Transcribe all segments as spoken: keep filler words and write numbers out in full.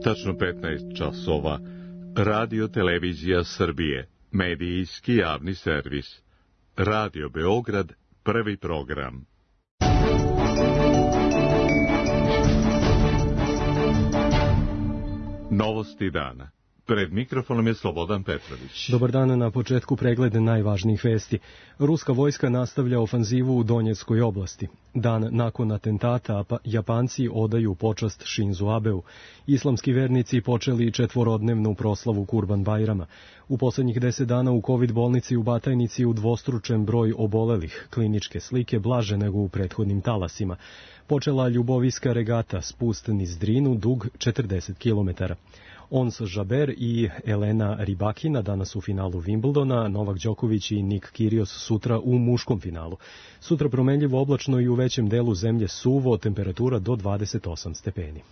Tačno petnaest časova. Radio Televizija Srbije. Medijski javni servis. Radio Beograd, prvi program. Novosti dana. Pred mikrofonom je Slobodan Petrović. Dobar dan, na početku pregled najvažnijih vesti. Ruska vojska nastavlja ofanzivu u Donjeckoj oblasti. Dan nakon atentata Japanci odaju počast Šinzu Abeu. Islamski vernici počeli četvorodnevnu proslavu Kurban Bajrama. U poslednjih deset dana u COVID bolnici u Batajnici udvostručen broj obolelih. Kliničke slike blaže nego u prethodnim talasima. Počela ljuboviska regata, spust niz Drinu, dug četrdeset kilometara. Ons Žaber i Elena Rybakina danas u finalu Wimbledona, Novak Đoković i Nik Kyrgios sutra u muškom finalu. Sutra promenljivo oblačno i u većem delu zemlje suvo, temperatura do dvadeset osam stepeni.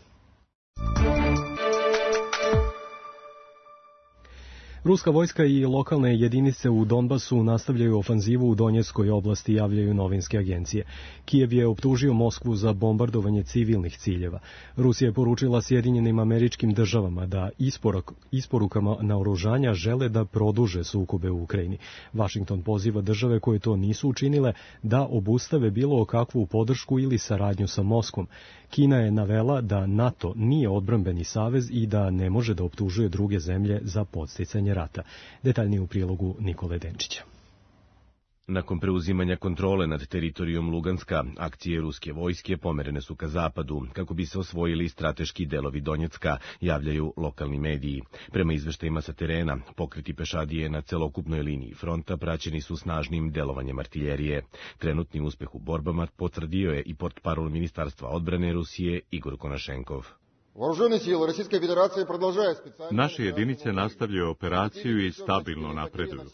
Ruska vojska i lokalne jedinice u Donbasu nastavljaju ofanzivu u Donjeckoj oblasti, javljaju novinske agencije. Kijev je optužio Moskvu za bombardovanje civilnih ciljeva. Rusija je poručila Sjedinjenim Američkim Državama da isporuk, isporukama naoružanja žele da produže sukobe u Ukrajini. Vašington poziva države koje to nisu učinile da obustave bilo kakvu podršku ili saradnju sa Moskvom. Kina je navela da NATO nije odbrambeni savez i da ne može da optužuje druge zemlje za podsticanje rata. Detaljnije u prilogu Nikole Denčića. Nakon preuzimanja kontrole nad teritorijom Luganska, akcije ruske vojske pomerene su ka zapadu, kako bi se osvojili strateški delovi Donjecka, javljaju lokalni mediji. Prema izveštajima sa terena, pokreti pešadije na celokupnoj liniji fronta praćeni su snažnim delovanjem artiljerije. Trenutni uspeh u borbama potvrdio je i portparol Ministarstva odbrane Rusije Igor Konašenkov. Naše jedinice nastavljaju operaciju i stabilno napreduju.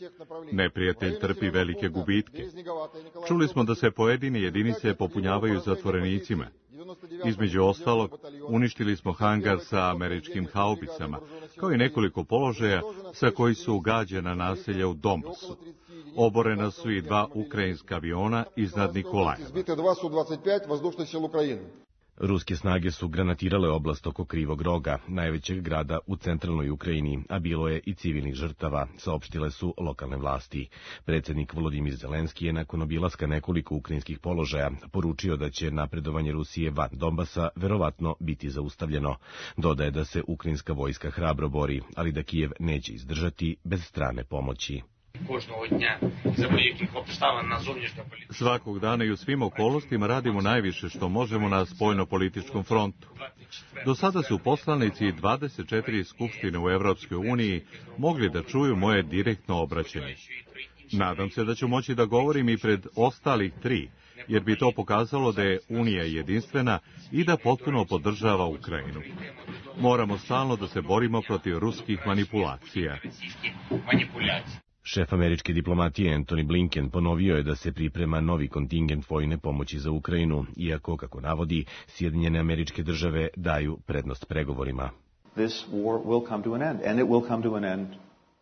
Neprijatelj trpi velike gubitke. Čuli smo da se pojedine jedinice popunjavaju zatvorenicima. Između ostalog, uništili smo hangar sa američkim haubicama, kao i nekoliko položaja sa koji su gađena naselja u Donbasu. Oborena su i dva ukrajinska aviona iznad Nikolajeva. Ruske snage su granatirale oblast oko Krivog Roga, najvećeg grada u centralnoj Ukrajini, a bilo je i civilnih žrtava, saopštile su lokalne vlasti. Predsjednik Volodimir Zelenski je nakon obilaska nekoliko ukrajinskih položaja poručio da će napredovanje Rusije van Donbasa verovatno biti zaustavljeno. Dodaje da se ukrajinska vojska hrabro bori, ali da Kijev neće izdržati bez strane pomoći. Svakog dana i u svim okolnostima radimo najviše što možemo na spoljno-političkom frontu. Do sada su poslanici dvadeset četiri skupštine u Evropskoj uniji mogli da čuju moje direktno obraćanje. Nadam se da ću moći da govorim i pred ostalih tri, jer bi to pokazalo da je Unija jedinstvena i da potpuno podržava Ukrajinu. Moramo stalno da se borimo protiv ruskih manipulacija. Šef američke diplomatije Antony Blinken ponovio je da se priprema novi kontingent vojne pomoći za Ukrajinu, iako, kako navodi, Sjedinjene Američke Države daju prednost pregovorima.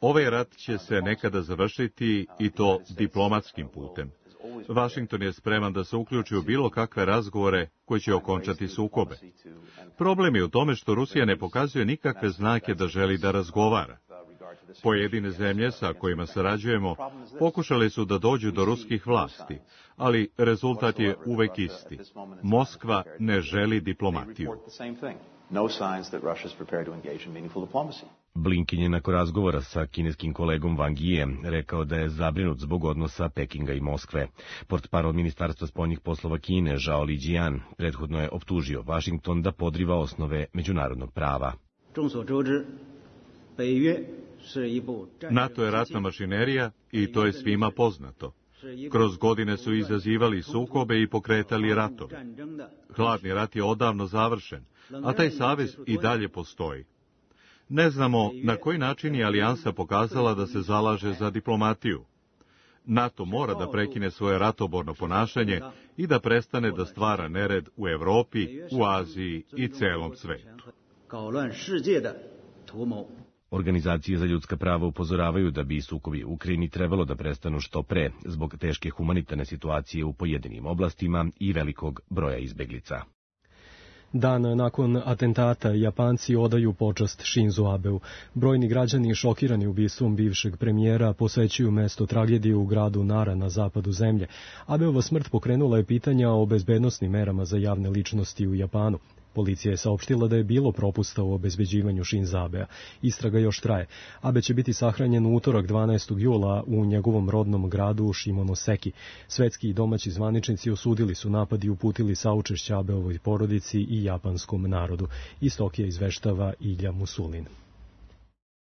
Ovaj rat će se nekada završiti i to diplomatskim putem. Vašington je spreman da se uključi u bilo kakve razgovore koji će okončati sukobe. Problem je u tome što Rusija ne pokazuje nikakve znake da želi da razgovara. Pojedine zemlje sa kojima sarađujemo pokušali su da dođu do ruskih vlasti, ali rezultat je uvek isti. Moskva ne želi diplomatiju. Blinken je nakon razgovora sa kineskim kolegom Wang Yijem rekao da je zabrinut zbog odnosa Pekinga i Moskve. Portparol Ministarstva spoljnih poslova Kine Zhao Lijian prethodno je optužio Vašington da podriva osnove međunarodnog prava. NATO je ratna mašinerija i to je svima poznato. Kroz godine su izazivali sukobe i pokretali ratove. Hladni rat je odavno završen, a taj savez i dalje postoji. Ne znamo na koji način je alijansa pokazala da se zalaže za diplomatiju. NATO mora da prekine svoje ratoborno ponašanje i da prestane da stvara nered u Evropi, u Aziji i celom svetu. Organizacije za ljudska prava upozoravaju da bi sukobi u Ukrajini trebalo da prestanu što pre zbog teške humanitarne situacije u pojedinim oblastima i velikog broja izbeglica. Dan nakon atentata Japanci odaju počast Shinzu Abeu. Brojni građani šokirani ubistvom bivšeg premijera posećuju mesto tragedije u gradu Nara na zapadu zemlje. Abeova smrt pokrenula je pitanja o bezbednosnim merama za javne ličnosti u Japanu. Policija je saopštila da je bilo propusta u obezbeđivanju Shinza Abea. Istraga još traje. Abe će biti sahranjen u utorak dvanaestog jula u njegovom rodnom gradu Shimonoseki. Svetski i domaći zvaničnici osudili su napad i uputili saučešće Abeovoj porodici i japanskom narodu. Iz Tokija izveštava Ilja Musulin.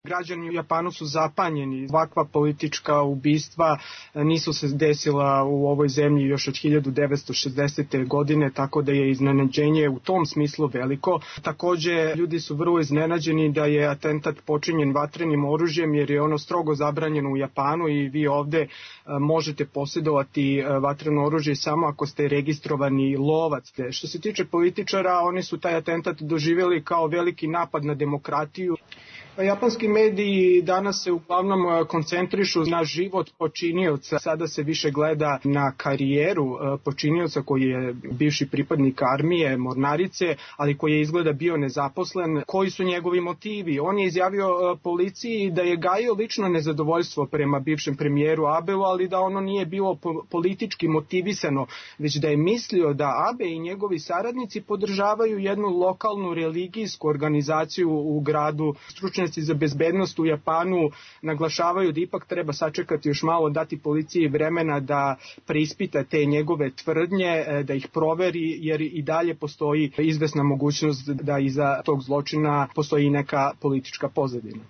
Građani u Japanu su zapanjeni. Ovakva politička ubistva nisu se desila u ovoj zemlji još od hiljadu devetsto šezdesete. godine, tako da je iznenađenje u tom smislu veliko. Takođe, ljudi su vrlo iznenađeni da je atentat počinjen vatrenim oružjem, jer je ono strogo zabranjeno u Japanu i vi ovde možete posjedovati vatreno oružje samo ako ste registrovani lovac. Što se tiče političara, oni su taj atentat doživjeli kao veliki napad na demokratiju. Japanski mediji danas se uglavnom koncentrišu na život počinioca. Sada se više gleda na karijeru počinioca koji je bivši pripadnik armije, mornarice, ali koji je izgleda bio nezaposlen. Koji su njegovi motivi? On je izjavio policiji da je gajio lično nezadovoljstvo prema bivšem premijeru Abeu, ali da ono nije bilo politički motivisano, već da je mislio da Abe i njegovi saradnici podržavaju jednu lokalnu religijsku organizaciju u gradu. Stručnjaci za bezbednost u Japanu naglašavaju da ipak treba sačekati još malo, dati policiji vremena da preispita te njegove tvrdnje, da ih proveri, jer i dalje postoji izvesna mogućnost da iza tog zločina postoji neka politička pozadina.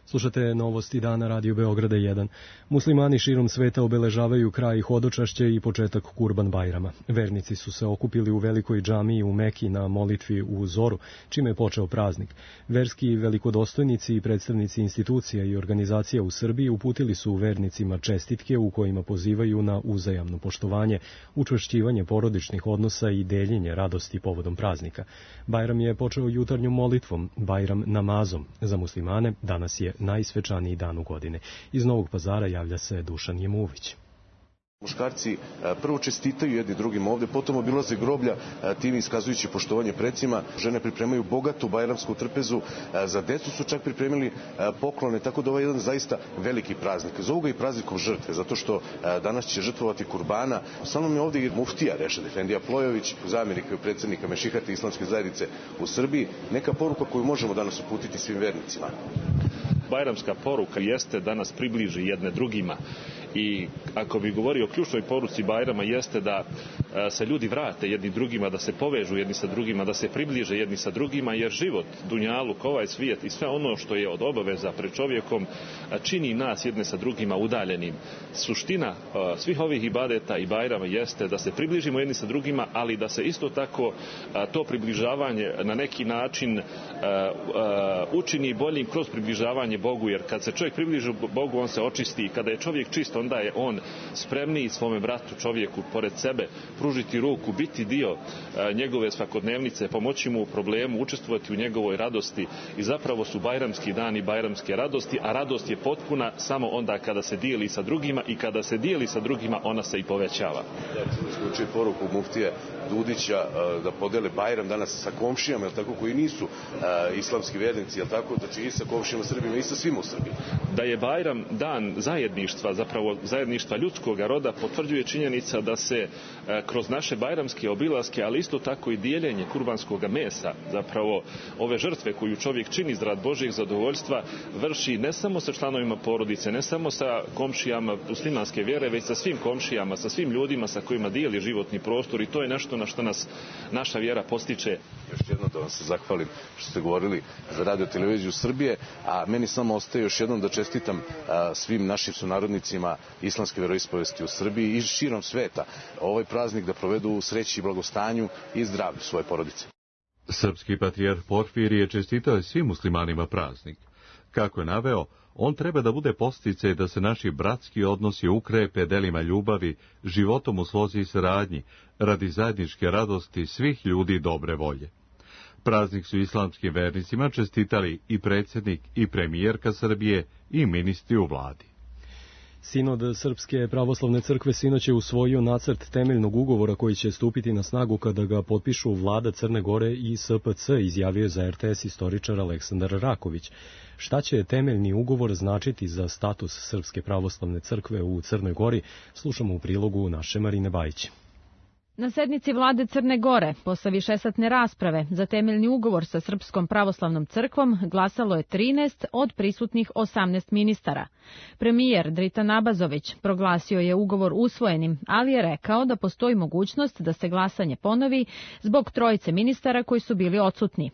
Slušate novosti dana Radio Beograda jedan. Muslimani širom sveta obeležavaju kraj hodočašća i početak Kurban Bajrama. Vernici su se okupili u velikoj džamiji u Meki na molitvi u zoru, čime je počeo praznik. Verski velikodostojnici i predstavnici institucija i organizacija u Srbiji uputili su vernicima čestitke u kojima pozivaju na uzajamno poštovanje, učvršćivanje porodičnih odnosa i deljenje radosti povodom praznika. Bajram je počeo jutarnjom molitvom, Bajram namazom. Za muslimane danas je najsvečaniji dan u godine. Iz Novog Pazara javlja se Dušan Jemuvić. Muškarci prvo čestitaju jedni drugim ovde, potom obilaze groblja, tim iskazujući poštovanje precima. Žene pripremaju bogatu bajramsku trpezu, za decu su čak pripremili poklone, tako da ovo je jedan zaista veliki praznik. Zovu ga i praznikom žrtve, zato što danas će žrtvovati kurbana. Sa mnom je ovde i muftija Rešad Efendija Plojović, zamjenik predsednika Mešihate islamske zajednice u Srbiji. Neka poruka koju možemo danas uputiti svim vernicima. Bajramska poruka jeste da nas približi jedne drugima i ako bi govorio o ključnoj poruci Bajrama jeste da se ljudi vrate jedni drugima, da se povežu jedni sa drugima, da se približe jedni sa drugima, jer život, dunjaluk, ovaj svijet i sve ono što je od obaveza pred čovjekom čini nas jedne sa drugima udaljenim. Suština svih ovih ibadeta i Bajrama jeste da se približimo jedni sa drugima, ali da se isto tako to približavanje na neki način učini boljim kroz približavanje Bogu, jer kad se čovjek približi Bogu, on se očisti i kada je čovjek čist, onda je on spremniji svome bratu čovjeku pored sebe pružiti ruku, biti dio njegove svakodnevnice, pomoći mu u problemu, učestvovati u njegovoj radosti i zapravo su bajramski dani bajramske radosti, a radost je potpuna samo onda kada se dijeli sa drugima i kada se dijeli sa drugima ona se i povećava. Isključuje poruku muftije Dudića da podele Bajram danas sa komšijama, jel tako, koji nisu uh, islamski vernici, jel tako, znači i sa komšijama Srbima i sa svima u Srbiji. Da je Bajram dan zajedništva, zapravo zajedništva ljudskog roda, potvrđuje činjenica da se uh, kroz naše bajramske obilaske, ali isto tako i dijeljenje kurbanskog mesa, zapravo ove žrtve koju čovjek čini zarad Božjeg zadovoljstva, vrši ne samo sa članovima porodice, ne samo sa komšijama muslimanske vjere, već sa svim komšijama, sa svim ljudima sa kojima dijeli životni prostor, i to je nešto na što nas naša vjera postiče. Još jednom da vam se zahvalim što ste govorili za Radio Televiziju Srbije, a meni samo ostaje još jednom da čestitam a, svim našim sunarodnicima islamske vjeroispovesti u Srbiji i širom sveta ovaj praznik da provedu u sreći i blagostanju i zdravlju svoje porodice. Srpski patrijarh Porfirije čestitao je svim muslimanima praznik. Kako je naveo, on treba da bude podsticaj da se naši bratski odnosi ukrepe delima ljubavi, životom u slozi i saradnji, radi zajedničke radosti svih ljudi dobre volje. Praznik su islamskim vernicima čestitali i predsjednik i premijerka Srbije i ministri u vladi. Sinod Srpske pravoslavne crkve sinoć je usvojio nacrt temeljnog ugovora koji će stupiti na snagu kada ga potpišu vlada Crne Gore i S P C, izjavio je za R T S istoričar Aleksandar Raković. Šta će temeljni ugovor značiti za status Srpske pravoslavne crkve u Crnoj Gori, slušamo u prilogu naše Marine Bajić. Na sednici vlade Crne Gore, posle višesatne rasprave za temeljni ugovor sa Srpskom pravoslavnom crkvom, glasalo je trinaest od prisutnih osamnaest ministara. Premijer Dritan Abazović proglasio je ugovor usvojenim, ali je rekao da postoji mogućnost da se glasanje ponovi zbog trojice ministara koji su bili odsutni.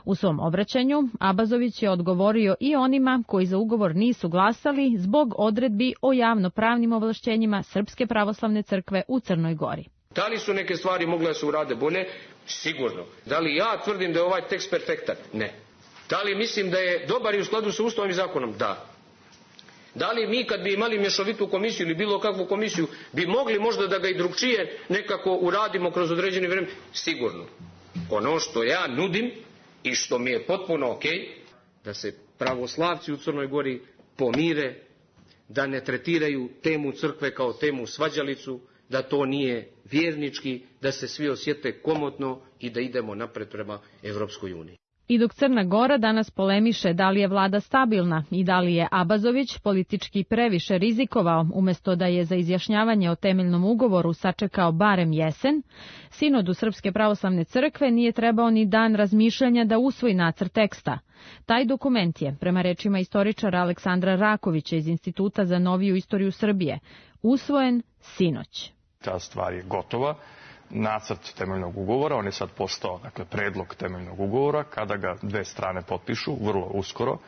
U svom obraćanju Abazović je odgovorio i onima koji za ugovor nisu glasali zbog odredbi o javnopravnim ovlašćenjima Srpske pravoslavne crkve u Crnoj Gori. Da li su neke stvari mogle da se urade bolje? Sigurno. Da li ja tvrdim da je ovaj tekst perfektan? Ne. Da li mislim da je dobar i u skladu sa Ustavom i zakonom? Da. Da li mi kad bi imali mješovitu komisiju ili bilo kakvu komisiju bi mogli možda da ga i drugčije nekako uradimo kroz određeni vreme? Sigurno. Ono što ja nudim i što mi je potpuno ok, da se pravoslavci u Crnoj Gori pomire, da ne tretiraju temu crkve kao temu svađalicu, da to nije vjernički, da se svi osjete komotno i da idemo napred prema Evropskoj uniji. I dok Crna Gora danas polemiše da li je vlada stabilna i da li je Abazović politički previše rizikovao umjesto da je za izjašnjavanje o temeljnom ugovoru sačekao barem jesen, Sinodu Srpske pravoslavne crkve nije trebao ni dan razmišljanja da usvoji nacrt teksta. Taj dokument je, prema rečima istoričara Aleksandra Rakovića iz Instituta za noviju istoriju Srbije, usvojen sinoć. Ta stvar je gotova. Nacrt temeljnog ugovora, on je sad postao, dakle, predlog temeljnog ugovora. Kada ga dve strane potpišu, vrlo uskoro,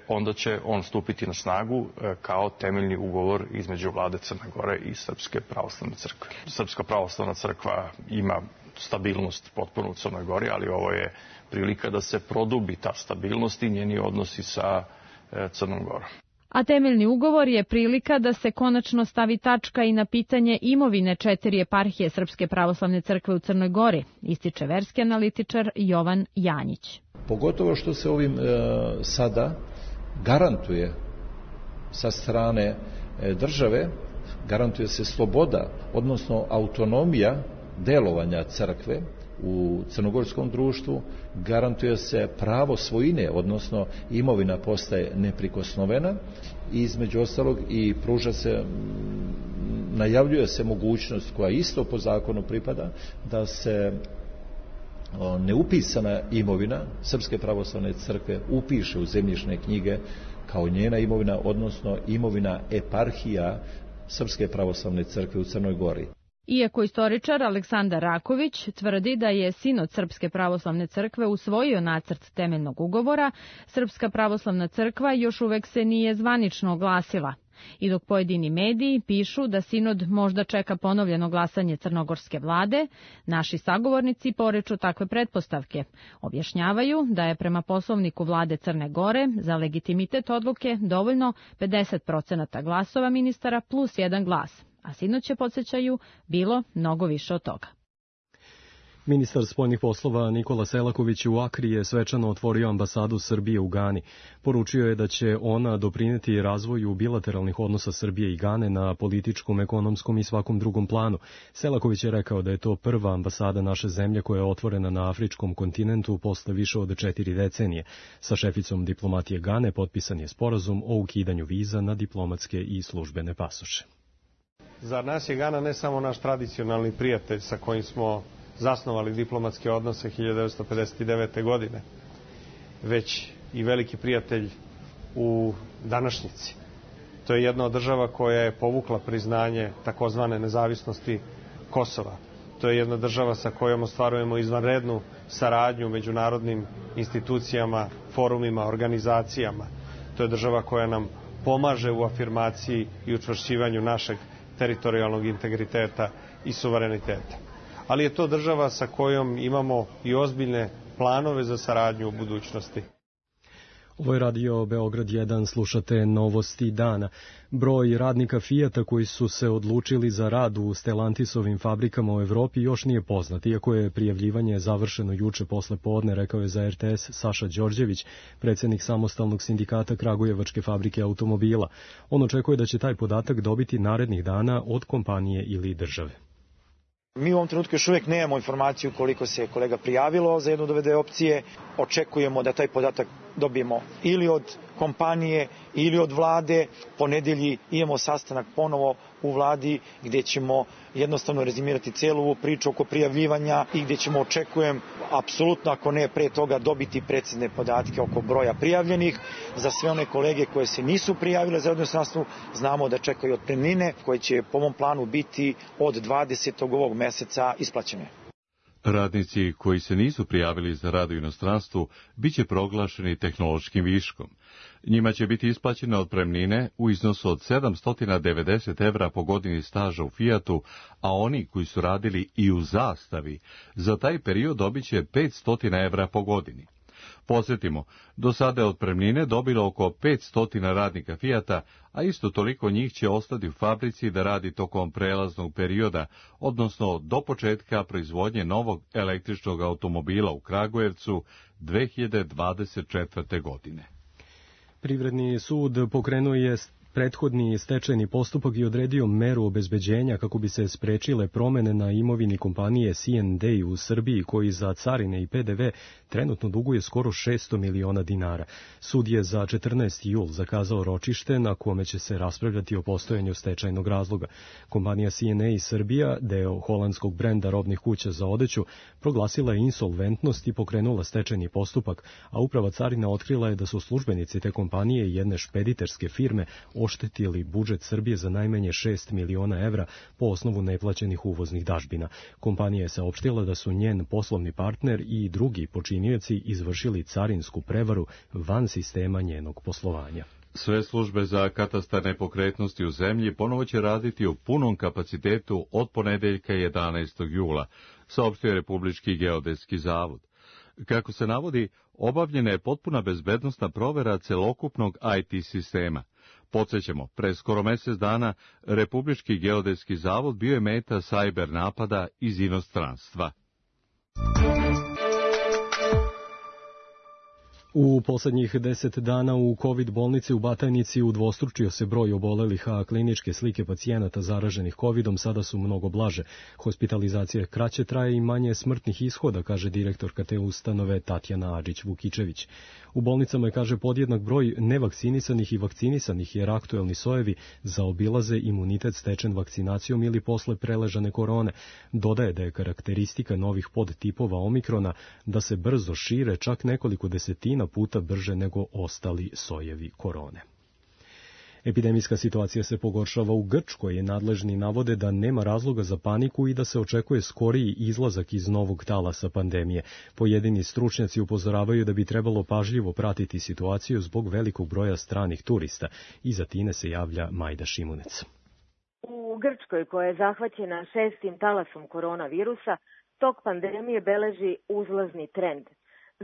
onda će on stupiti na snagu kao temeljni ugovor između vlade Crne Gore i Srpske pravoslavne crkve. Srpska pravoslavna crkva ima stabilnost potpuno u Crnoj Gori, ali ovo je prilika da se produbi ta stabilnost i njeni odnosi sa Crnom Gorom. A temeljni ugovor je prilika da se konačno stavi tačka i na pitanje imovine četiri eparhije Srpske pravoslavne crkve u Crnoj Gori, ističe verski analitičar Jovan Janjić. Pogotovo što se ovim e, sada garantuje sa strane e, države, garantuje se sloboda, odnosno autonomija delovanja crkve u crnogorskom društvu, garantuje se pravo svojine, odnosno imovina postaje neprikosnovena i između ostalog i pruža se, najavljuje se mogućnost koja isto po zakonu pripada, da se neupisana imovina Srpske pravoslavne crkve upiše u zemljišne knjige kao njena imovina, odnosno imovina eparhija Srpske pravoslavne crkve u Crnoj Gori. Iako istoričar Aleksandar Raković tvrdi da je Sinod Srpske pravoslavne crkve usvojio nacrt temeljnog ugovora, Srpska pravoslavna crkva još uvek se nije zvanično oglasila. I dok pojedini mediji pišu da Sinod možda čeka ponovljeno glasanje crnogorske vlade, naši sagovornici poreču takve pretpostavke. Objašnjavaju da je prema poslovniku vlade Crne Gore za legitimitet odluke dovoljno pedeset procenata glasova ministara plus jedan glas. A sinoć je, podsjećaju, bilo mnogo više od toga. Ministar spoljnih poslova Nikola Selaković u Akri je svečano otvorio ambasadu Srbije u Gani. Poručio je da će ona doprineti razvoju bilateralnih odnosa Srbije i Gane na političkom, ekonomskom i svakom drugom planu. Selaković je rekao da je to prva ambasada naše zemlje koja je otvorena na afričkom kontinentu posle više od četiri decenije. Sa šeficom diplomatije Gane potpisan je sporazum o ukidanju viza na diplomatske i službene pasoše. Za nas je Gana ne samo naš tradicionalni prijatelj sa kojim smo zasnovali diplomatske odnose hiljadu devetsto pedeset devete. godine, već i veliki prijatelj u današnjici. To je jedna od država koja je povukla priznanje takozvane nezavisnosti Kosova. To je jedna država sa kojom ostvarujemo izvanrednu saradnju u međunarodnim institucijama, forumima, organizacijama. To je država koja nam pomaže u afirmaciji i učvršćivanju našeg teritorijalnog integriteta i suvereniteta. Ali je to država sa kojom imamo i ozbiljne planove za saradnju u budućnosti. Ovo je radio Beograd jedan, slušate novosti dana. Broj radnika Fijata koji su se odlučili za rad u Stellantisovim fabrikama u Evropi još nije poznat, iako je prijavljivanje završeno juče posle podne, rekao je za R T S Saša Đorđević, predsjednik samostalnog sindikata Kragujevačke fabrike automobila. On očekuje da će taj podatak dobiti narednih dana od kompanije ili države. Mi u ovom trenutku još uvijek nemamo informaciju koliko se kolega prijavilo za jednu od ove dve opcije. Očekujemo da taj podatak dobijemo ili od kompanije ili od vlade. Po nedelji imamo sastanak ponovo u vladi gdje ćemo jednostavno rezimirati cijelu ovu priču oko prijavljivanja i gdje ćemo, očekujem, apsolutno ako ne pre toga, dobiti precizne podatke oko broja prijavljenih. Za sve one kolege koje se nisu prijavile za radno inostranstvo, znamo da čekaju otpremnine koje će po ovom planu biti od dvadesetog ovog meseca isplaćene. Radnici koji se nisu prijavili za rad u inostranstvu biće proglašeni tehnološkim viškom. Njima će biti isplaćene otpremnine u iznosu od sedamsto devedeset evra po godini staža u Fijatu, a oni koji su radili i u Zastavi za taj period dobit će petsto evra po godini. Podsjetimo, do sada je otpremnine dobilo oko petsto radnika Fijata, a isto toliko njih će ostati u fabrici da radi tokom prelaznog perioda, odnosno do početka proizvodnje novog električnog automobila u Kragujevcu dve hiljade dvadeset četvrte. godine. Privredni sud pokrenuo je prethodni stečajni postupak i odredio meru obezbeđenja kako bi se sprečile promene na imovini kompanije C N D u Srbiji, koji za carine i P D V trenutno duguje skoro šesto miliona dinara. Sud je za četrnaesti jul zakazao ročište na kome će se raspravljati o postojanju stečajnog razloga. Kompanija C N A Srbija, deo holandskog brenda robnih kuća za odeću, proglasila je insolventnost i pokrenula stečajni postupak, a uprava carina otkrila je da su službenici te kompanije i jedne špediterske firme oštetili budžet Srbije za najmanje šest miliona evra po osnovu neplaćenih uvoznih dažbina. Kompanija je saopštila da su njen poslovni partner i drugi počinioci izvršili carinsku prevaru van sistema njenog poslovanja. Sve službe za katastar nepokretnosti u zemlji ponovo će raditi u punom kapacitetu od ponedeljka jedanaestog jula, saopštio Republički geodetski zavod. Kako se navodi, obavljena je potpuna bezbednosna provera celokupnog I T sistema. Podsjećamo, pre skoro mjesec dana Republički geodetski zavod bio je meta cyber napada iz inostranstva. U posljednjih deset dana u COVID bolnici u Batajnici udvostručio se broj obolelih, a kliničke slike pacijenata zaraženih covidom sada su mnogo blaže. Hospitalizacija kraće traje i manje smrtnih ishoda, kaže direktorka te ustanove Tatjana Adžić-Vukičević. U bolnicama je, kaže, podjednak broj nevakcinisanih i vakcinisanih, jer aktuelni sojevi zaobilaze imunitet stečen vakcinacijom ili posle preležane korone. Dodaje da je karakteristika novih podtipova omikrona da se brzo šire, čak nekoliko desetina puta brže nego ostali sojevi korone. Epidemijska situacija se pogoršava u Grčkoj, je nadležni navode da nema razloga za paniku i da se očekuje skoriji izlazak iz novog talasa pandemije. Pojedini stručnjaci upozoravaju da bi trebalo pažljivo pratiti situaciju zbog velikog broja stranih turista. Iza Tine se javlja Majda Šimunec. U Grčkoj, koja je zahvaćena šestim talasom koronavirusa, tok pandemije beleži uzlazni trend.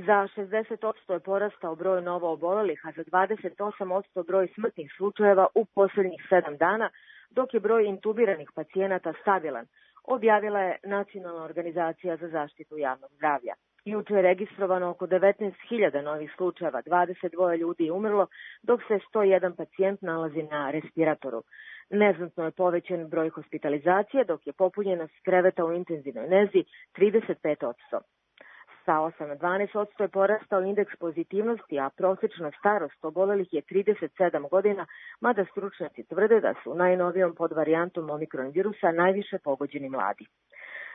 Za šezdeset posto je porastao broj novo obolelih, a za dvadeset osam posto broj smrtnih slučajeva u posljednjih sedam dana, dok je broj intubiranih pacijenata stabilan, objavila je Nacionalna organizacija za zaštitu javnog zdravlja. Juče je registrovano oko devetnaest hiljada novih slučajeva, dvadeset dva ljudi je umrlo, dok se sto jedan pacijent nalazi na respiratoru. Neznatno je povećan broj hospitalizacije, dok je popunjenost kreveta u intenzivnoj nezi trideset pet posto. Sa osam na dvanaest posto je porastao indeks pozitivnosti, a prosječna starost obolelih je trideset sedam godina, mada stručnjaci tvrde da su najnovijom podvarijantom omikron virusa najviše pogođeni mladi.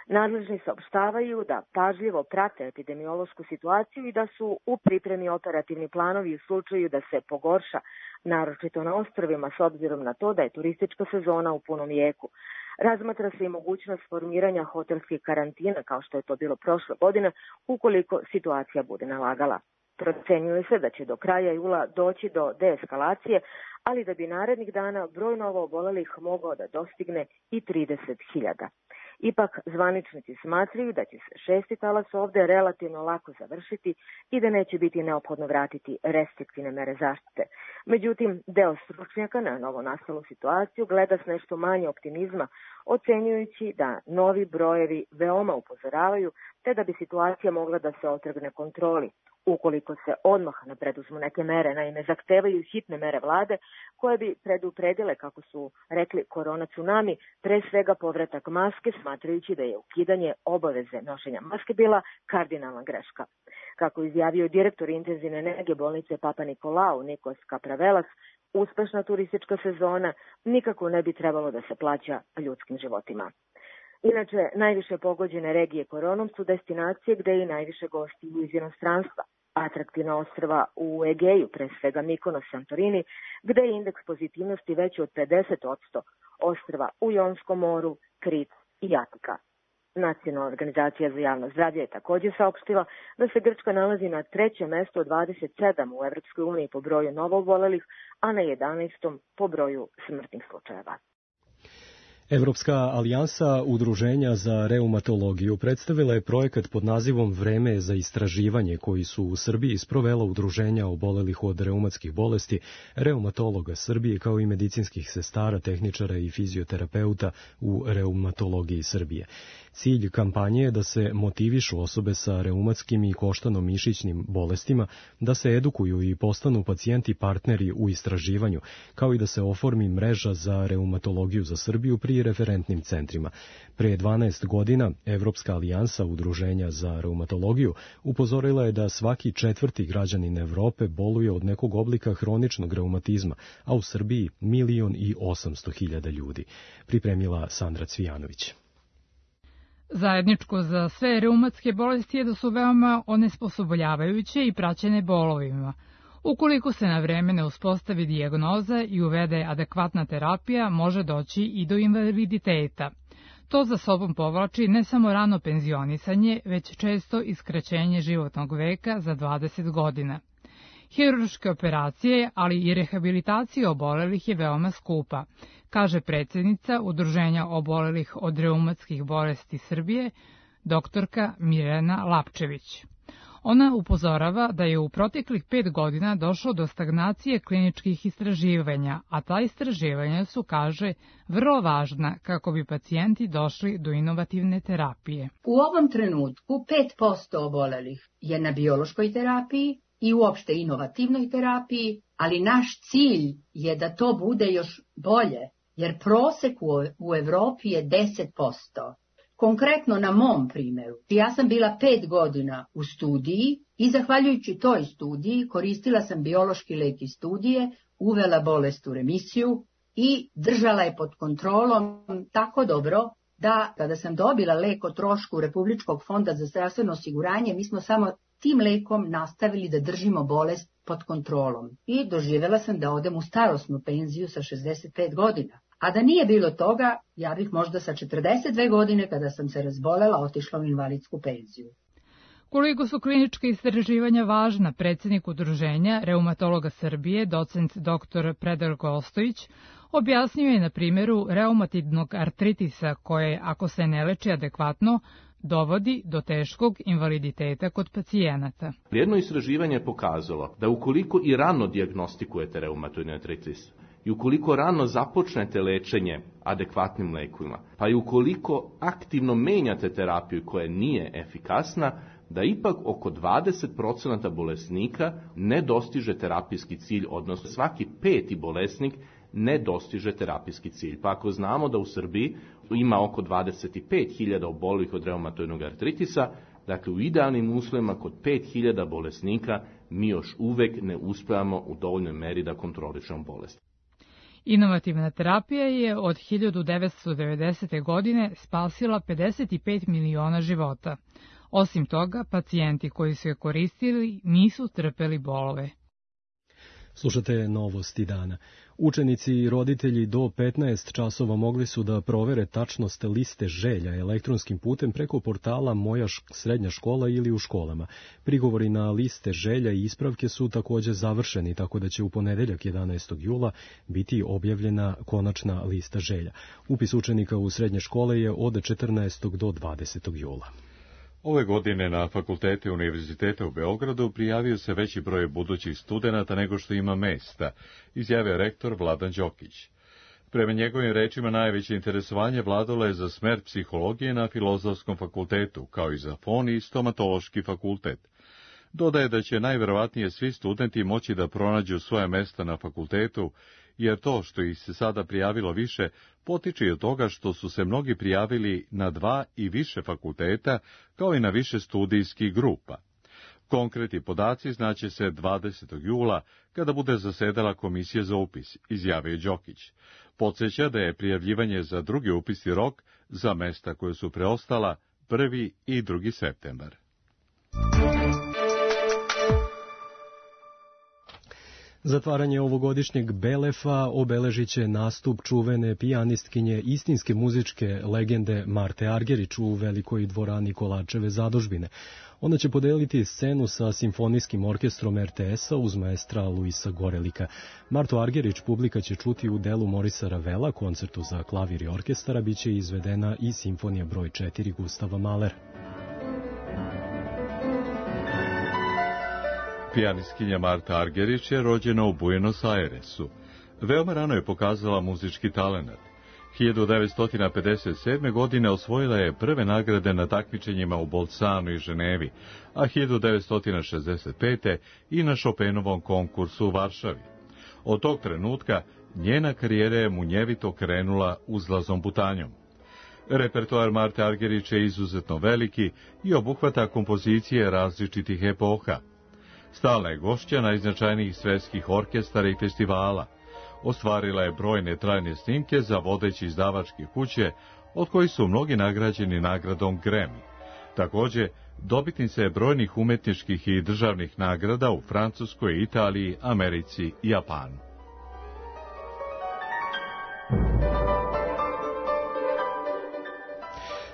Nadležni saopštavaju da pažljivo prate epidemiološku situaciju i da su u pripremi operativni planovi u slučaju da se pogorša, naročito na ostrvima, s obzirom na to da je turistička sezona u punom jeku. Razmatra se i mogućnost formiranja hotelskih karantina, kao što je to bilo prošle godine, ukoliko situacija bude nalagala. Procenjuje se da će do kraja jula doći do deeskalacije, ali da bi narednih dana broj novo obolelih mogao da dostigne i trideset hiljada. Ipak, zvaničnici smatraju da će se šesti talas ovde relativno lako završiti i da neće biti neophodno vratiti restriktivne mere zaštite. Međutim, deo stručnjaka na novo nastalu situaciju gleda s nešto manje optimizma, ocenjujući da novi brojevi veoma upozoravaju te da bi situacija mogla da se otrgne kontroli. Ukoliko se odmah ne preduzmu neke mere, naime zahtevaju hitne mere vlade koje bi predupredile, kako su rekli, korona tsunami, pre svega povratak maske, smatrajući da je ukidanje obaveze nošenja maske bila kardinalna greška. Kako izjavio direktor intenzivne nege bolnice Papa Nikolau Nikos Kapravelas, uspešna turistička sezona nikako ne bi trebalo da se plaća ljudskim životima. Inače, najviše pogođene regije koronom su destinacije gde je i najviše gostiju iz inostranstva. Atraktivna ostrva u Egeju, pre svega Mikonos, Santorini, gde je indeks pozitivnosti veći od pedeset posto, ostrva u Jonskom moru, Krit i Atika. Nacionalna organizacija za javno zdravlje je također saopštila da se Grčka nalazi na trećem mestu od dvadeset sedam u Evropskoj uniji po broju novoobolelih, a na jedanaestom po broju smrtnih slučajeva. Evropska alijansa udruženja za reumatologiju predstavila je projekat pod nazivom Vreme za istraživanje koji su u Srbiji sprovela udruženja obolelih od reumatskih bolesti, reumatologa Srbije kao i medicinskih sestara, tehničara i fizioterapeuta u reumatologiji Srbije. Cilj kampanje je da se motivišu osobe sa reumatskim i koštano-mišićnim bolestima, da se edukuju i postanu pacijenti partneri u istraživanju, kao i da se oformi mreža za reumatologiju za Srbiju pri referentnim centrima. Pre dvanaest godina Evropska alijansa udruženja za reumatologiju upozorila je da svaki četvrti građanin Evrope boluje od nekog oblika hroničnog reumatizma, a u Srbiji milion i osamsto hiljada ljudi. Pripremila Sandra Cvijanović. Zajedničko za sve reumatske bolesti je da su veoma onesposobljavajuće i praćene bolovima. Ukoliko se na vreme ne uspostavi dijagnoza i uvede adekvatna terapija, može doći i do invaliditeta. To za sobom povlači ne samo rano penzionisanje, već često i skraćenje životnog veka za dvadeset godina. Hirurške operacije, ali i rehabilitacija obolelih je veoma skupa, kaže predsjednica Udruženja obolelih od reumatskih bolesti Srbije, doktorka Mirjana Lapčević. Ona upozorava da je u proteklih pet godina došlo do stagnacije kliničkih istraživanja, a ta istraživanja su, kaže, vrlo važna kako bi pacijenti došli do inovativne terapije. U ovom trenutku pet posto obolelih je na biološkoj terapiji i uopšte inovativnoj terapiji, ali naš cilj je da to bude još bolje, jer prosek u Evropi je deset posto. Konkretno na mom primjeru, ja sam bila pet godina u studiji i zahvaljujući toj studiji koristila sam biološki lek iz studije, uvela bolest u remisiju i držala je pod kontrolom tako dobro da kada sam dobila lek o trošku Republičkog fonda za zdravstveno osiguranje, mi smo samo tim lekom nastavili da držimo bolest pod kontrolom. I doživjela sam da odem u starosnu penziju sa šezdeset pet godina. A da nije bilo toga, ja bih možda sa četrdeset dve godine, kada sam se razbolela, otišla u invalidsku penziju. Koliko su kliničke istraživanja važna, predsjednik udruženja reumatologa Srbije, docent doktor Predrag Ostojić, objasnio je na primjeru reumatidnog artritisa koje, ako se ne leči adekvatno, dovodi do teškog invaliditeta kod pacijenata. Jedno istraživanje je pokazalo da ukoliko i rano dijagnostikujete reumatoidni artritis, i ukoliko rano započnete lečenje adekvatnim lekovima, pa i ukoliko aktivno menjate terapiju koja nije efikasna, da ipak oko dvadeset posto bolesnika ne dostiže terapijski cilj, odnosno svaki peti bolesnik ne dostiže terapijski cilj. Pa ako znamo da u Srbiji ima oko dvadeset pet hiljada obolelih od reumatoidnog artritisa, dakle u idealnim uslovima kod pet hiljada bolesnika mi još uvek ne uspevamo u dovoljnoj meri da kontrolišemo bolest. Inovativna terapija je od hiljadu devetsto devedesete. godine spasila pedeset pet miliona života. Osim toga, pacijenti koji su je koristili nisu trpeli bolove. Slušate novosti dana. Učenici i roditelji do petnaest časova mogli su da provere tačnost liste želja elektronskim putem preko portala Moja srednja škola ili u školama. Prigovori na liste želja i ispravke su također završeni, tako da će u ponedeljak jedanaestog jula biti objavljena konačna lista želja. Upis učenika u srednje škole je od četrnaestog do dvadesetog jula. Ove godine na fakultete Univerziteta u Beogradu prijavio se veći broj budućih studenata nego što ima mesta, izjavio rektor Vladan Đokić. Prema njegovim rečima najveće interesovanje vladalo je za smer psihologije na Filozofskom fakultetu, kao i za fon i stomatološki fakultet. Dodaje da će najverovatnije svi studenti moći da pronađu svoje mesta na fakultetu, jer to što ih se sada prijavilo više potiče i od toga što su se mnogi prijavili na dva i više fakulteta, kao i na više studijskih grupa. Konkretni podaci znaće se dvadesetog jula, kada bude zasedala komisija za upis, izjavio Đokić. Podsjeća da je prijavljivanje za drugi upisni rok za mesta koje su preostala prvi i drugi septembar. Zatvaranje ovogodišnjeg Belefa obeležit će nastup čuvene pijanistkinje istinske muzičke legende Marte Argerić u velikoj dvorani Kolačeve zadužbine. Ona će podeliti scenu sa simfonijskim orkestrom er te es-a uz maestra Luisa Gorelika. Martu Argerić publika će čuti u delu Morisa Ravela, koncertu za klavir i orkestara, bit će izvedena i simfonija broj četiri Gustava Mahlera. Pijanistkinja Marta Argerić je rođena u Buenos Airesu. Veoma rano je pokazala muzički talenat. hiljadu devetsto pedeset sedme. godine osvojila je prve nagrade na takmičenjima u Bolzanu i Ženevi, a hiljadu devetsto šezdeset pete. i na Chopinovom konkursu u Varšavi. Od tog trenutka njena karijera je munjevito krenula uzlazom putanjom. Repertoar Marte Argerić je izuzetno veliki i obuhvata kompozicije različitih epoha. Stalna je gošća najznačajnijih svetskih orkestara i festivala. Ostvarila je brojne trajne snimke za vodeće izdavačke kuće, od kojih su mnogi nagrađeni nagradom Grammy. Također, dobitnica je brojnih umetničkih i državnih nagrada u Francuskoj, Italiji, Americi i Japanu.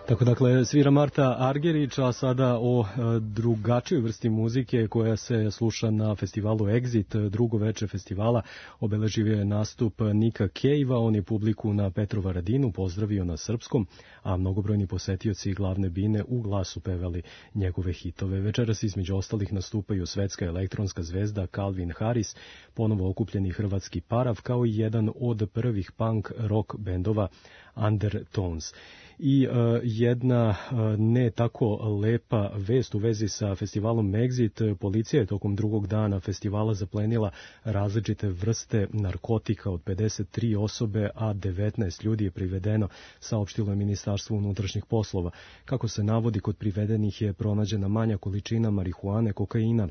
Tako dakle, svira Marta Argerić, a sada o e, drugačijoj vrsti muzike koja se sluša na festivalu Exit. Drugo veče festivala obeležio je nastup Nika Cave-a, on je publiku na Petrovaradinu pozdravio na srpskom, a mnogobrojni posetioci glavne bine u glasu pevali njegove hitove. Večeras između ostalih nastupaju svetska elektronska zvezda Calvin Harris, ponovo okupljeni hrvatski Parav, kao i jedan od prvih punk rock bendova Undertones. I uh, jedna uh, ne tako lepa vest u vezi sa festivalom Exit. Policija je tokom drugog dana festivala zaplenila različite vrste narkotika od pedeset tri osobe, a devetnaest ljudi je privedeno, saopštilo je Ministarstvo unutrašnjih poslova. Kako se navodi, kod privedenih je pronađena manja količina marihuane, kokaina,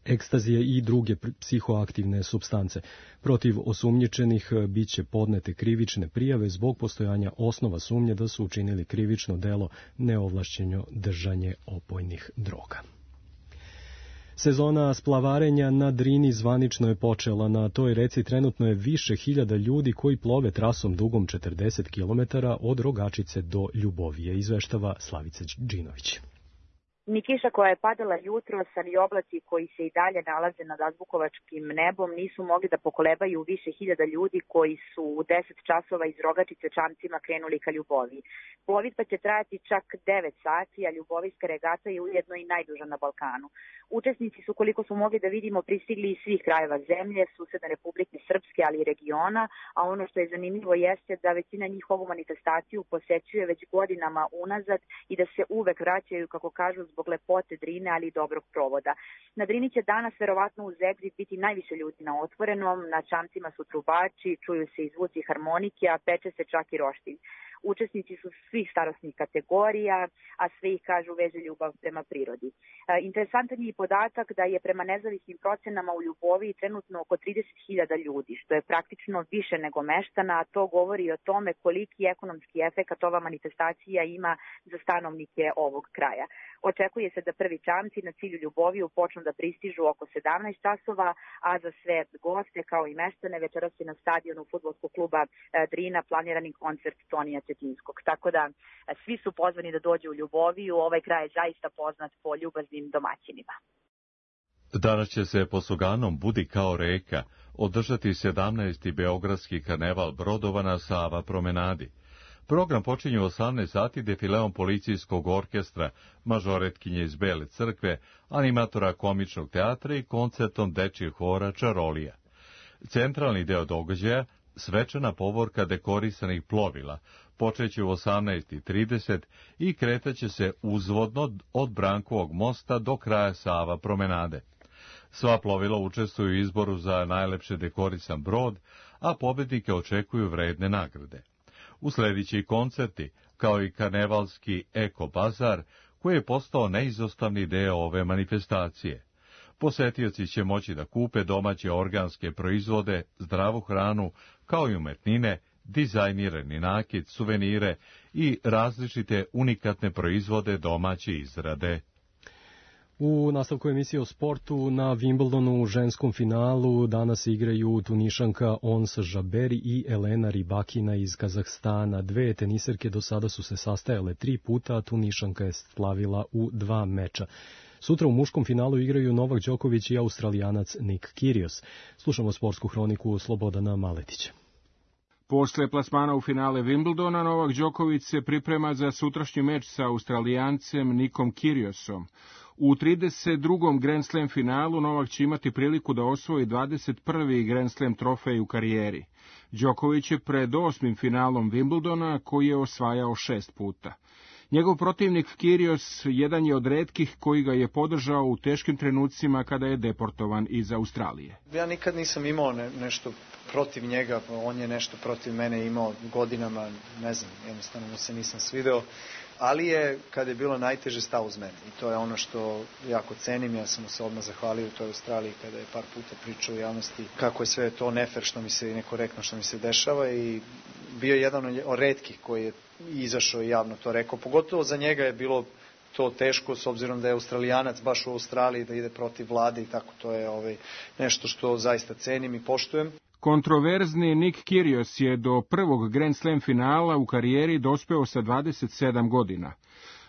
ekstazije i druge psihoaktivne supstance. Protiv osumnjičenih biće podnete krivične prijave zbog postojanja osnova sumnje da su učinili krivično delo neovlašćeno držanje opojnih droga. Sezona splavarenja na Drini zvanično je počela. Na toj reci trenutno je više hiljada ljudi koji plove trasom dugom četrdeset kilometara od Rogačice do Ljubovije, izveštava Slavica Đinović. Ni kiša koja je padala jutros, ali oblaci koji se i dalje nalaze nad azbukovačkim nebom nisu mogli da pokolebaju više hiljada ljudi koji su u deset časova iz Rogačice čamcima krenuli ka Ljuboviji. Plovidba će trajati čak devet sati, a Ljubovijska regata je ujedno i najduža na Balkanu. Učesnici su, koliko smo mogli da vidimo, pristigli iz svih krajeva zemlje, susedne Republike Srpske, ali i regiona, a ono što je zanimljivo jeste da većina njih ovu manifestaciju posećuje već godinama unazad i da se uvek vraćaju, kako kažu, zbog lepote Drine, ali i dobrog provoda. Na Drini će danas verovatno uz Exit biti najviše ljudi na otvorenom, na čamcima su trubači, čuju se i zvuci harmonike, a peče se čak i roštilj. učesnici su svih starosnih kategorija, a sve ih, kažu, veže ljubav prema prirodi. Interesantan je i podatak da je prema nezavisnim procenama u Ljuboviji trenutno oko trideset hiljada ljudi, što je praktično više nego meštana, a to govori o tome koliki ekonomski efekat ova manifestacija ima za stanovnike ovog kraja. Očekuje se da prvi čamci na cilju Ljuboviju počnu da pristižu oko sedamnaest časova, a za sve goste kao i meštane večeras je na stadionu fudbalskog kluba Drina planirani koncert Tonija Cetinskog. Tako da svi su pozvani da dođu u Ljuboviju, ovaj kraj je zaista poznat po ljubaznim domaćinima. Danas će se po sloganom Budi kao reka održati sedamnaesti beogradski karneval brodova na Sava promenadi. Program počinje u osamnaest sati defileom policijskog orkestra, mažoretkinje iz Bele crkve, animatora komičnog teatra i koncertom dečijeg hora Čarolija. Centralni deo događaja, svečana povorka dekorisanih plovila, počeće u osamnaest trideset i kretaće se uzvodno od Brankovog mosta do kraja Sava promenade. Sva plovila učestvuju u izboru za najlepše dekorisan brod, a pobednike očekuju vredne nagrade. Uslediće koncerti, kao i karnevalski Eko Bazar, koji je postao neizostavni deo ove manifestacije. Posetioci će moći da kupe domaće organske proizvode, zdravu hranu, kao i umetnine, dizajnirani nakit, suvenire i različite unikatne proizvode domaće izrade. U nastavku emisije o sportu na Wimbledonu u ženskom finalu danas igraju Tunišanka Ons Jaberi i Elena Rybakina iz Kazahstana. Dve teniserke do sada su se sastajale tri puta, a Tunišanka je slavila u dva meča. Sutra u muškom finalu igraju Novak Đoković i Australijanac Nick Kyrgios. Slušamo sportsku hroniku Slobodana Maletića. Posle plasmana u finale Wimbledona, Novak Đoković se priprema za sutrašnji meč sa Australijancem Nickom Kyrgiosom. U trideset drugom Grand Slam finalu Novak će imati priliku da osvoji dvadeset prvi Grand Slam trofej u karijeri. Đoković je pred osmim finalom Wimbledona, koji je osvajao šest puta. Njegov protivnik Kyrgios jedan je od retkih koji ga je podržao u teškim trenucima kada je deportovan iz Australije. Ja nikad nisam imao ne, nešto protiv njega, on je nešto protiv mene imao godinama, ne znam, jednostavno mu se nisam svideo, ali je, kada je bilo najteže, stao uz mene. I to je ono što jako cenim, ja sam mu se odmah zahvalio u toj Australiji kada je par puta pričao u javnosti kako je sve to nefer što mi se i nekorektno što mi se dešava, i bio je jedan od retkih koji je izašao i javno to rekao. Pogotovo za njega je bilo to teško, s obzirom da je Australijanac baš u Australiji, da ide protiv vlade i tako. To je ovaj, nešto što zaista cenim i poštujem. Kontroverzni Nick Kyrgios je do prvog Grand Slam finala u karijeri dospeo sa dvadeset sedam godina.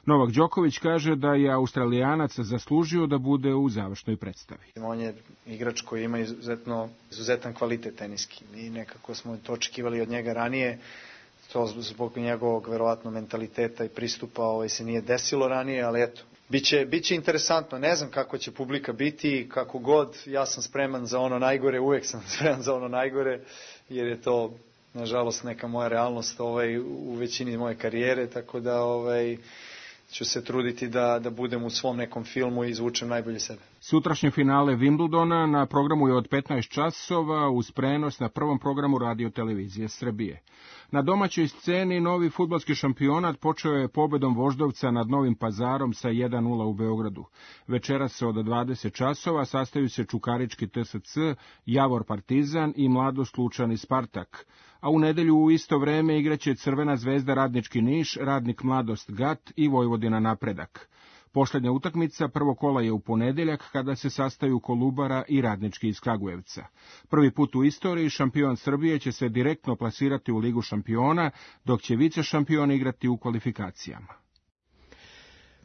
Novak Đoković kaže da je Australijanac zaslužio da bude u završnoj predstavi. On je igrač koji ima izuzetno, izuzetan kvalitet teniski i nekako smo to očekivali od njega ranije. To zbog njegovog verovatno mentaliteta i pristupa ovaj, se nije desilo ranije, ali eto, biće, biće interesantno. Ne znam kako će publika biti, kako god, ja sam spreman za ono najgore, uvek sam spreman za ono najgore, jer je to, nažalost, neka moja realnost ovaj, u većini moje karijere, tako da ovaj, ću se truditi da, da budem u svom nekom filmu i izvučem najbolje sebe. Sutrašnje finale Wimbledona na programu je od petnaest časova uz prenos na prvom programu Radio televizije Srbije. Na domaćoj sceni novi fudbalski šampionat počeo je pobedom Voždovca nad Novim Pazarom sa jedan nula u Beogradu. Večeras se od dvadeset časova sastaju se Čukarički T S C, Javor Partizan i Mladost Lučani Spartak. A u nedelju u isto vreme igraće Crvena zvezda Radnički Niš, Radnik Mladost Gat i Vojvodina Napredak. Poslednja utakmica prvog kola je u ponedeljak kada se sastaju Kolubara i Radnički iz Kragujevca. Prvi put u istoriji šampion Srbije će se direktno plasirati u Ligu šampiona, dok će vice šampion igrati u kvalifikacijama.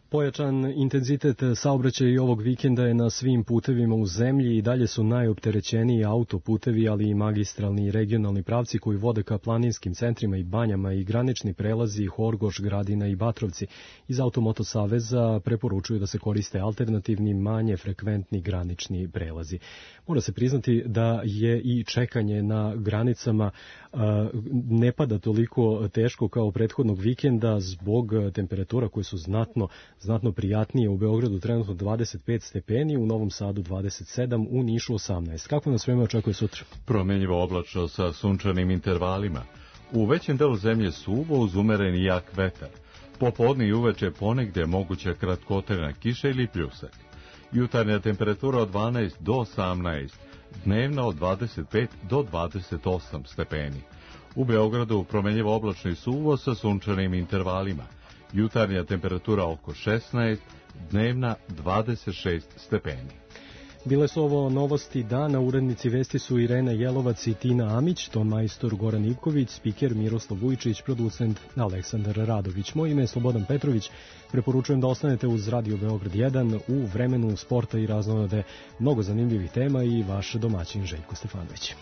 Pojačan intenzitet saobraćaja i ovog vikenda je na svim putevima u zemlji i dalje su najopterećeniji autoputevi, ali i magistralni i regionalni pravci koji vode ka planinskim centrima i banjama i granični prelazi Horgoš, Gradina i Batrovci. Iz Automoto Saveza preporučuju da se koriste alternativni, manje frekventni granični prelazi. Mora se priznati da je i čekanje na granicama ne pada toliko teško kao prethodnog vikenda zbog temperatura koje su znatno znatno prijatnije. U Beogradu trenutno dvadeset pet stepeni, u Novom Sadu dvadeset sedam, u Nišu osamnaest. Kako nas vreme očekuje sutra? Promenljivo oblačno sa sunčanim intervalima. U većem delu zemlje suvo uz umeren i jak vetar. Popodne i uveče ponegde moguća kratkotrajna kiša ili pljusak. Jutarnja temperatura od dvanaest do osamnaest, dnevna od dvadeset pet do dvadeset osam stepeni. U Beogradu promenljivo oblačno i suvo sa sunčanim intervalima. Jutarnja temperatura oko šesnaest, dnevna dvadeset šest stepeni. Bile su ovo novosti dana, urednici vesti su Irena Jelovac i Tina Amić, ton majstor Goran Ivković, spiker Miroslav Vujčić, producent Aleksandar Radović. Moje ime je Slobodan Petrović, preporučujem da ostanete uz Radio Beograd jedan u vremenu sporta i raznolade mnogo zanimljivih tema i vaš domaćin Željko Stefanović.